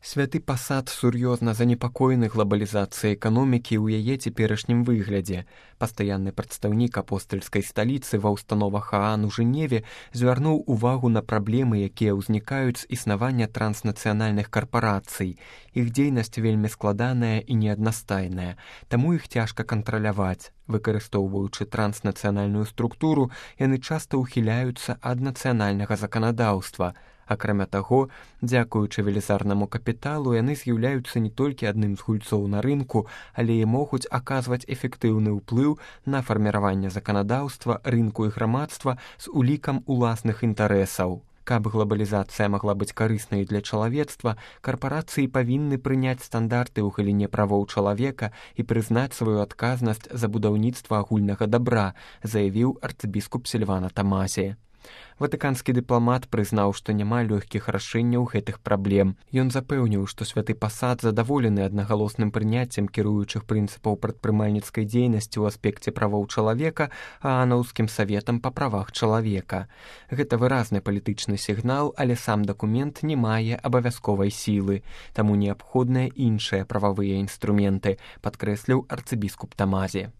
Святы пасад сур'ёзна занепакоены глобалізацыяй эканомікі ў яе цяперашнім выглядзе. Пастаянны прадстаўнік апостальскай сталіцы ва ўстановах Аан у Жэневе звярнуў увагу на праблемы, якія ўзнікаюць з існавання транснацыянальных карпарацый. Іх дзейнасць вельмі складаная і неаднастайная, таму іх цяжка кантраляваць. Выкарыстоўваючы транснацыянальную структуру, яны часта ўхіляюцца ад нацыянальнага заканадаўства. Акрамя таго, дзякуючы велізарнаму капіталу, яны з'яўляюцца не толькі адным з гульцоў на рынку, але і могуць аказваць эфектыўны ўплыў на фарміраванне заканадаўства, рынку і грамадства з улікам уласных інтарэсаў. Каб глобалізацыя магла быць карыснай для чалавецтва, карпарацыі павінны прыняць стандарты ў галіне правоў чалавека і прызнаць сваю адказнасць за будаўніцтва агульнага дабра, заявіў арцыбіскуп Сільвана Тамазі. Ватыканскі дыпламат прызнаў, што няма лёгкіх рашэнняў гэтых праблем. Ён запэўніў, што святы пасад задаволены аднагалосным прыняццем кіруючых прынцыпаў прадпрымальніцкай дзейнасці ў аспекце правоў чалавека, Аанаўскім саветам па правах чалавека. Гэта выразны палітычны сігнал, але сам дакумент не мае абавязковай сілы, таму неабходныя іншыя прававыя інструменты, падкрэсліў арцыбіскуп Тамазі.